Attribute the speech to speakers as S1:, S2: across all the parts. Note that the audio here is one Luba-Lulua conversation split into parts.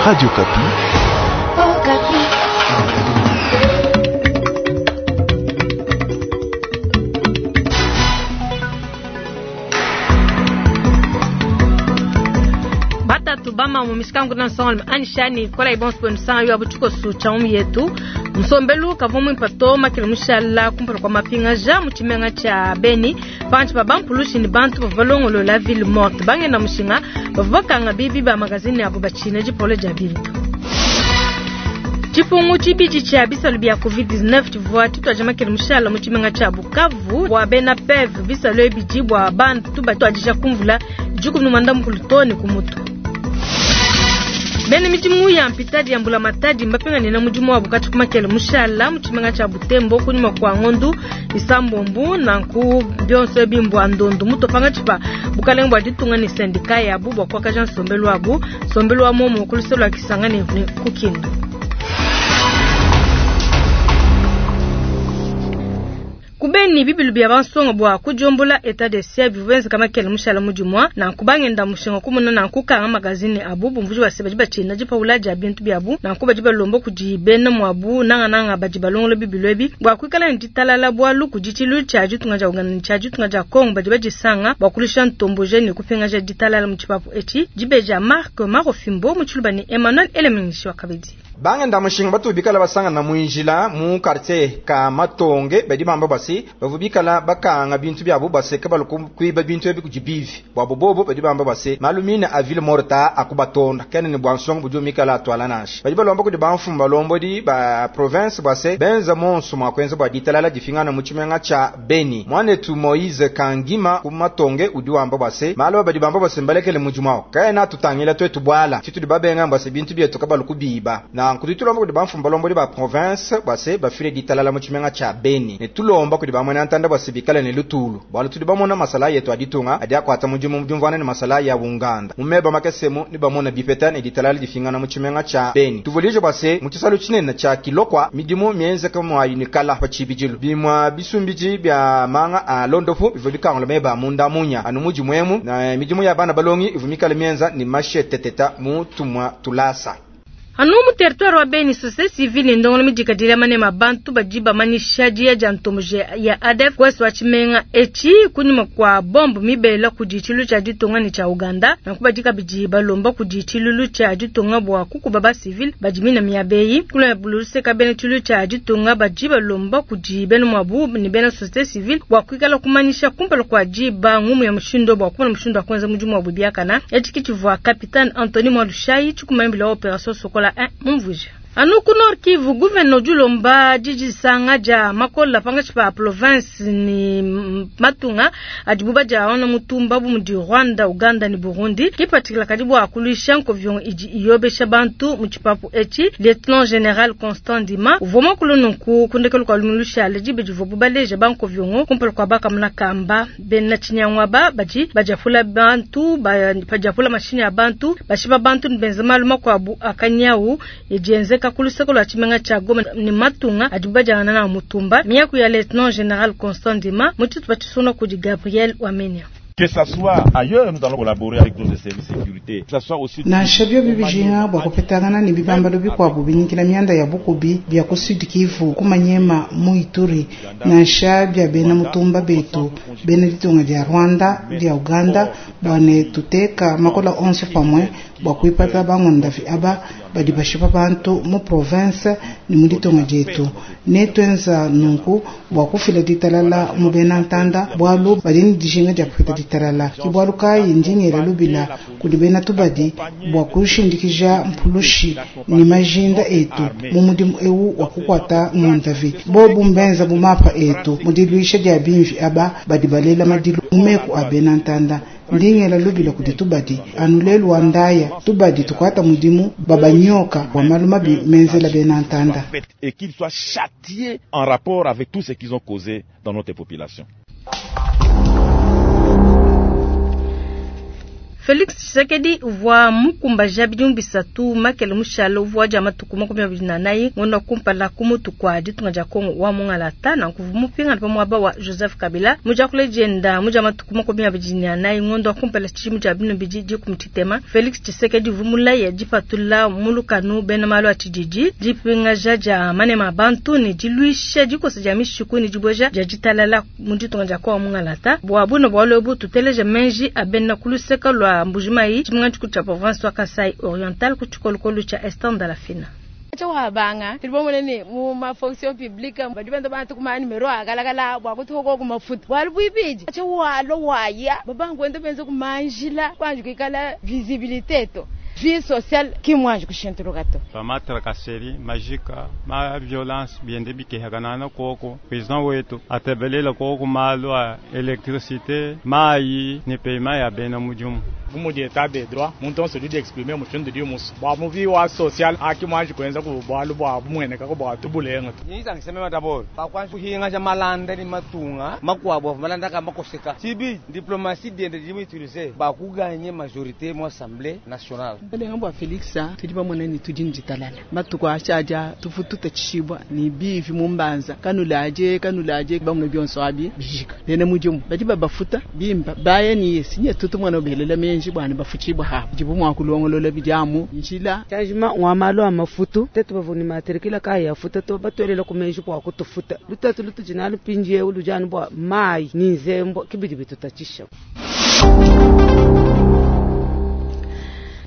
S1: Radio Okapi.
S2: Okapi.
S3: Batatu bama mu mishikangu na nsonga anishani kola ibonso bwenu sanga yo abuchikosu cha umu yetu nsombelu kavua muimpa to makele mushala kumpala kua mapingaja mu tshimenga tshia Beni panshi pa bampulushi ne bantu bavua balongolola ville morte bangenda mushinga bavua bakanga bibi ba magazine abo batshina dipolo dia bintu. Tshipungu tshibidi tshia bisalu bia COVID-19 tshivua tshituadija makele mushala mu tshimenga tshia Bukavu bua bena PEV bisalu ebidi bua bantu batuadija kumvula 19 too ne ku mutu. Bena midimu ya mpitadi ya mbulamatadi mbapinganena mudimu wabu katshi ku makele mushala mu tshimenga tshia Butembo kunyima kua ngondu isambombu nanku bionso ebi mbua ndondu mutu pangatshi pa bukalenge bua ditunga ne sendika yabu bua kuakaja nsombelu wabu nsombelu wa muomu ku luseke lua Kisangani ne ku Kindu. Kubeni bibilu bia bansonga bua kudiombola etat de siège bivua bienzeka makele mushala mudimua nanku bangenda mushinga kumona nanku kanga magazine abu bumvuji bua se badi batshina dipawula dia bintu biabu nanku badi balomba kudi bena muabu nangananga badi balongola bibilu ebi bua kuikala ne ditalala bualu kudi tshilu tshia ditunga dia Uganda ne tshia ditunga dia Congo badi badisanga bua kulusha ntomboje ne kupingaja ditalala mu tshipapu etshi dibeja Marc Marofimbo mu tshiluba ne Emmanuel Elemengishi wa kabidi.
S4: Bangenda mushinga batu bikala basangana muinjila mu quartier ka Matonge badi bamba basi bavu bikala bakanga bintu byabo baseka baluku kuiba bintu ebi kudi bivi bwabo bobo badi bamba basi malumina a ville morta akubatonda kene ne bwansonga budi mikala atwala nashi badi balomba kudi bamfumu balombodi ba province bwase benza monso mwa kwenza bwa ditalala difingana mu tshimenga tsha Beni mwanetu Moise Kangima ku Matonge udi wamba bwase malo badi bamba base mbalekele mudimu awo kaena tutangila twetu bwala tshitudi babenga bwase bintu byetu kabaluku biba na nkuti tulomba kudi bamfumu balombodi ba province bwase bafile ditalala mu tshimenga tsha Beni ne tulomba kudi bamwena ntanda bwase bikale ne lutulu bwala tudi bamona masala yetu aditunga adi akwata mudimu mdiumvana ne masala ya bunganda mumeba makesemu ni bamona bipeta ne ditalala difingana mu tshimenga tsha Beni tuvulije bwase mu tshisalu tshinene tsha Kilokwa midimu mienzeka mwayi ne kala pa tshibidilu bimwa bisumbiji bya manga a londofu bivua bikangula meba munda munya anu mudimu emu na midimu ya bana balongi ivua mikale mienza ne masheteteta mu tumwa tulasa.
S3: Anu mu territoire wa Beni société civile ndongolo midikadile manema bantu badi bamanyisha dia dia ntomboje ya ADF kwesi wa tshimenga etshi kunyima kwa bombe mibela kudi tshilu tshia ditunga ne tshia Uganda nanku badi kabidi balomba kudi tshilulu tshia ditunga bua kukuba ba civil badi mina miabeyi kula buluseka bena tshilu tshia ditunga badi balomba kudi bena mwabu ne bena société civile bua kuikala kumanyisha kumpala kwa diba ngumu ya mushindo bua kumona mushindo wa kuenza mudimu wabu biakana etshi kitshivua capitaine Anthony Mwalushayi tshikumambila operation Sokola 1 mumvuja. Anu ku Nord Kivu gouverneur Julomba didisanga dia makola pangatshi pa province ni matunga adibu badia mutumba bu mudi Rwanda, Uganda ne Burundi kipatikila kadi bua kuluisha nkovion idi iyobesha bantu mu tshipapu etshi Lieutenant General Constant Ndima uvua muakulu nunku kundekelu kua lumilusha dibe divua bubaleja bankoviongo kumpala kua bakamuna kamba bena tshinyangwaba badi badiapula bantu badiapula mashini ya bantu bashipa bantu ne benza malu makuabu akanyawu idienzeka kuluseko lwa tshimenga tshia Goma ne matunga adi badiangana na mutumba miaku ya Lieutenant General Constant Ndima mu tshitupa tshisuna kudi Gabriel Wamenya.
S5: Que ça soit ailleurs, nous allons collaborer avec nos services de sécurité. Que ça soit aussi
S6: nansha byo bibijinga bua kupetangana ne bibambalo bikuabu binyikila mianda ya bukubi bia ku Sud Kivu ku Manyema mu Ituri nansha bia bena mutumba betu bena ditunga dia Rwanda dia Uganda bua ne tuteka makola onso pamue bua kuipata bangondavi aba badi bashipa bantu mu province ne mu ditunga dietu ne tuenza nunku bua kufila ditalala mu bena ntanda bualu badi ne dijinga dia kupeta ditalala ke bualu kayi ndingela lubila kudi bena tubadi bua kushindikija mpulushi ne majinda etu mu mudimu ewu wa kukwata ngondavi bobu mbenza bu mapa etu mu diluisha dia bimvi aba badi balela madilu mu meku a bena ntanda ndingela lubila kudi tubadi anu lelu wa ndaya tubadi tukwata mudimu babanyoka wa malu mabi menzela bena ntanda
S5: et qu'ils soient châtiés en rapport avec tout ce qu'ils ont causé dans notre population.
S3: Felix Tshisekedi uvua mukumbaja bidimu 3 makele mushale uvua dia matuku 24 ngondo kumpala ku mutu kwa ditunga dia Kongo wa mungalata na nkuvu mupingana pa muaba wa Joseph Kabila mujakule dienda muja matuku 24 ngondo kumpala tshimu dia binu bidi dikumtitema. Felix Tshisekedi uvua mulaya dipatula mulukanu bena malu a tshididi dipingaja dia manema bantu ne diluisha dikosa dia mishiku ne diboja dia ditalala mu ditunga dia Kongo mungalata bua buno bwalo bu tuteleje menji abena kuluseka lwa Mbujimayi tshimenga tshikulu province wa Kasai Oriental ku tshikolokolo tsha Esther Ndalafina.
S1: Wabanga tilibomone ni mu ma fonction publique badi benda bantu kuma numero akalakala bwa kuthoko kuma futa wali buibiji acha walo waya babangu ende benze kumanjila kwanje kikala visibilité to vie sociale ki mwanje kushintuluka to
S7: ba tracasserie majika ma violence biende bikehakanana koko président wetu atebelela koko malo a électricité mai ni paiement ya bena mujumu
S8: mudi état de droit muntu onso udi exprimer mushindu di musu bua muvi wa social aki mwanji kuenza ku bualu bua bumueneka ko bua tubulenga
S9: nyisangisemema d'abord bakwanza kuhinga ja malanda ni matunga makwabo malanda ka makoseka sibi diplomatie diende di utiliser bakuganye majorité mu assemblée nationale
S10: balenga bwa Felix tudi bamona ni tudi nditalala matuko ashaja tufututa chishibwa ni bivi mumbanza kanulaje kanulaje bamwe byonso abi bijika bene mujumu badi babafuta bimba baye ni yesinye tutu mwana obelela menji bwana bafuchibwa ha jibu mwakulongolola bijamu njila
S11: changement wa malo amafutu tetu bavuni matrikila kaya futa to batwelela kumenji kwa kutufuta lutatu lutujinalo pinje ulujani bwa mai ni nzembo kibidi bitutachisha.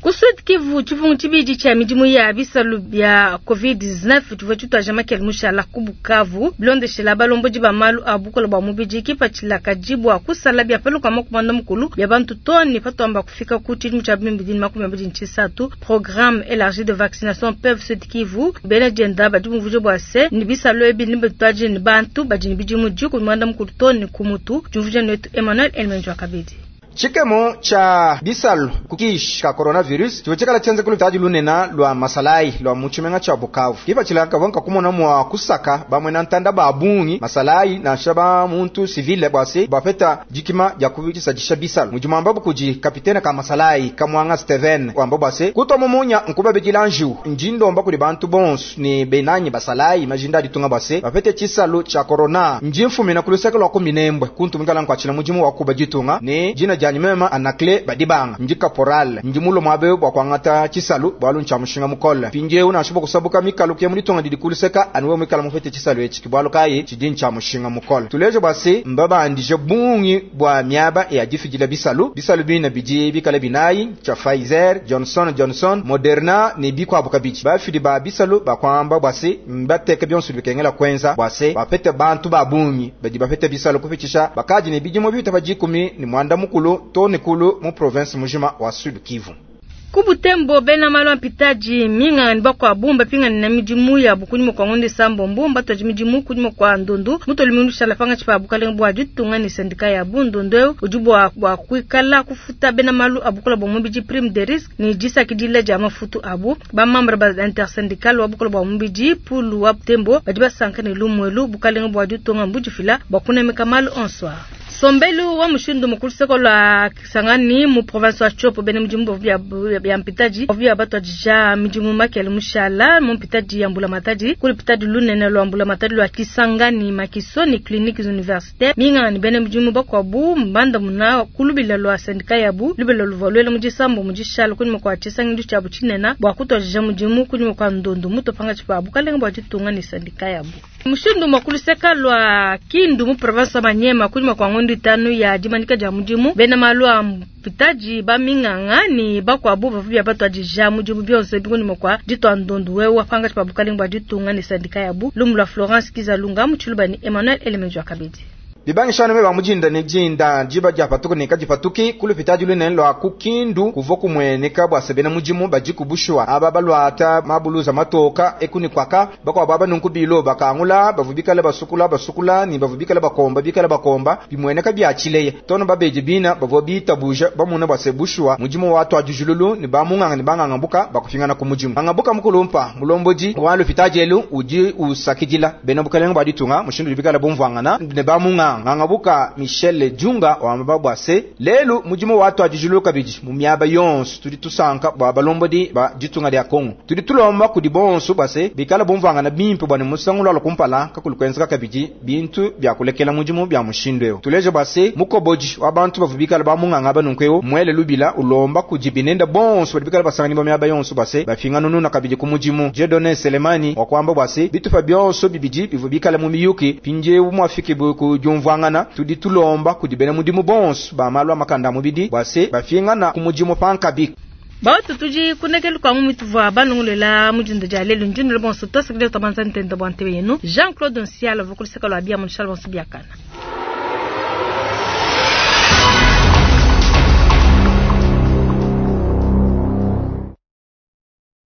S3: Ku Sud Kivu tshifungu tshibidi tshia midimu ya bisalu bia COVID-19 tshivua tshituaja makele mushala ku Bukavu bilondeshela balombodi ba malu a bukola bua mubidi kipatshila bua kusala bia paluka makumanda mukulu bia bantu toni patwamba kufika ku tshidimu tshia 2023 programme élargi de vaccination PEV Sud Kivu bena dienda badi bumvuje bua se ni bisalu ebi ni bituaje ni bantu badi ni bidimu diku mukulu toni ku mutu diumvuje netu Emmanuel Elmenjwa Kabidi.
S4: Chikemo cha bisalu kukish ka coronavirus chivechekala chenze kulutaji lunena lwa masalai lwa muchimenga cha Bukavu kipa chilaka bonka kumona mwa kusaka bamwe na ntanda babungi masalai na shaba muntu civile bwase bapeta jikima ya kubisajisha bisalu mujumamba bukuji kapitena ka masalai kamwanga Steven kwamba bwase kutwa mumunya nkuba bejilanju njindo mba kuli bantu bons ni benanyi basalai majinda ditunga bwase bapete chisalu cha corona njimfumina kuluseka lwa kuminembwe kuntu mingala nkwachila mujimu wa kuba jitunga ni jina mema anakle badibanga nji caporal nji mulo mwabe bwa kwangata chisalu bwalu ncha mushinga mukola pinje una shubo kusabuka mikalu kye mulitonga didi kuluseka anuwe mikala mufete chisalu echi kibwalu kayi chidi ncha mushinga mukola tuleje bwase mbaba ndije bungi bwa miaba ya jifijila bisalu bisalu bina biji bikala binayi cha Pfizer Johnson Johnson Moderna ni bikwa bukabichi bafidi ba bisalu bakwamba bwase mbateke byonsu bikengela kwenza bwase bapete bantu babungi badi bapete bisalu kufichisha bakaji ni bijimo bita bajikumi ni mwanda mukulu toni kulu mu province mujima wa Sud Kivu.
S3: Kubutembo bena malu mpitaji minga ni bakwa bumba pinga na midimu ya bukunyimo kwa ngonde sambo mbumba toji midimu kunyimo kwa ndundu muto limundu shala panga chipa bukale bwa ditunga ni sendika ya bundu ujubu wa kuikala kufuta bena malu abukula bo mubiji prime de risque ni jisa kidile ja mafutu abu ba membre ba intersyndical wa bukula bwa mubiji pulu wa Butembo badiba sankane lumwelu bukale bwa ditunga mbujifila bakuna mekalu onsoir. Sombelu wa mushindu mukulu seko la Kisangani mu province wa Tshopo bene mjimbo vya vya mpitaji vya batu ja mijimu makele mushala mu mpitaji ya mbula matadi kuli mpitaji lunene lwa mbula matadi lwa Kisangani Makisoni clinique université minga ni bene mjimu bakwabu mbanda muna kulubila lwa syndicat yabu lubila luvalwele mujisambo mujishala kuni mwa Chisangi cha buchinena bwa kutoja mujimu kuni mwa ndondo muto panga chipa bukalenga bwa jitunga ni syndicat yabu mushindu mukulu seka lwa Kindu mu province wa Manyema kuni mwa ngondi tanu ya dimanika ja mudimu bena malu a mpitaji ba minganga ni bakwabu bavu ya batu adija mudimu byonse bikuni mwa ditwa ndondu wewe panga chipa bukalenga bwa jitunga ni syndicat yabu lumu lwa Florence Kizalunga muchiluba ni Emmanuel Elemenjwa Kabidi.
S4: Bibangishano meba mujinda ni jinda jiba japatuku ni kajipatuki kulupitaji lune lwa kukindu kuvo kumweneka bwa sebena mujimu bajikubushwa aba balwata mabuluza matoka ekuni kwaka bakwa baba nunkubilo bakangula bavubikala basukula basukula ni bavubikala bakomba bikala bakomba bimweneka byachileye tono babeje bina bavo bitabuja bamuna bwa sebushwa mujimu watu ajujululu ni bamunganga ni banganga buka bakufingana ku mujimu angabuka mukulumpa mulomboji wa lupitaji elu uji usakidila bena bukalenga baditunga mushindu bikala bomvangana ne bamunga. munganga ngangabuka Michel Djunga wamba bua se lelu mudimu watuadijilwe kabidi mu miaba yonso. Tudi tusanka bua balombodi ba ditunga dia Kongo, tudi tulomba kudi bonso bua se bikala bumvuangana bimpe bua ne musangu lwala kumpala kakulu kuenzeka kabidi bintu bia kulekela mudimu bia mushindu eu. Tuleje bua se mukobodi wa bantu bavua bikala ba munganga banunku eu mwele lubila ulomba kudi binenda bonso badi bikala basanganyibwa miaba yonso bua se bafinganununa kabidi ku mudimu. Dieudonné Selemani wakuamba bua se bitupa bionso bibidi bivua bikala mu miyuki mpindieu muafikibu ku diumvuangana. Tudi tulomba kudi bena mudimu bonso ba malu a makanda a mubidi bua se bafingana ku mudimu pankabi.
S3: Bautu tudi kunekelu kwa ngumi tuvua balongolela mudinda dia lelu ndindu bonso twasakidila twabanza ntenda bua ntebe yenu Jean Claude Nsiala vokuluseka lwa bia munshala bonso biakana.